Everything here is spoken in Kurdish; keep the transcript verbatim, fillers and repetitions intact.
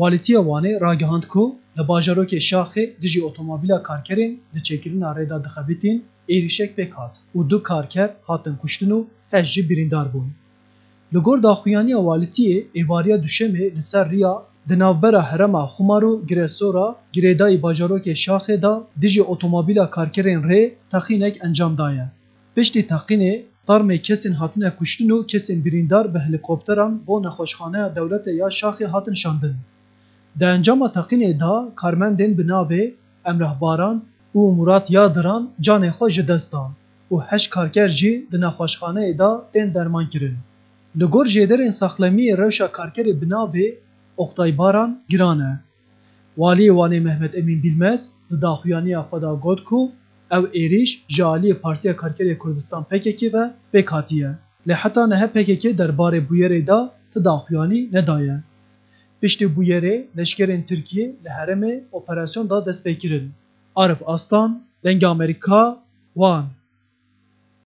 Walîtiya Wanê ragihand ku li bajarokê Şaxê dijî otomobîla karkerên di çêkirina rê de dixebitîn êrîşek pêk hat û du karker hatin kuştin û heşt jî birîndar bûn. Li gor daxuyaniya Walîtiyê, êvariya Duşemê li ser riya di navbera herêma Xumar û Gireso re girêdayî bajarokê Şaxê de dijî otomobîla karkerên rê teqînek encam daye. Piştî teqînê, termê kesên hatine kuştin û kesên birîndar bi helîkopteran bo nexweşxaneya dewletê ya Şaxê hatin şandin. Di encama teqînê de karmendên bi navê Emrah Baran û Murat Yadiran canê xwe ji dest dan û heşt karker jî di nexweşxaneyê de tên dermankirin. Li gor jêderên saxlemiyê rewşa karkerê bi navê Oktay Baran giran e. Waliyê Wanê Mehmet Emîn Bîlmez di daxuyaniya xwe de got ku ev êrîş ji aliyê Partiya Karkerê Kurdistan P K K ve pêk hatiye. Lê heta niha P K K derbarê bûyerê de ti daxuyanî nedaye. Piştî bûyerê leşkerên Tirkiyê li herêmê operasyon da destpêkirin. Arif Aslan, Dengê Amerîka, Wan.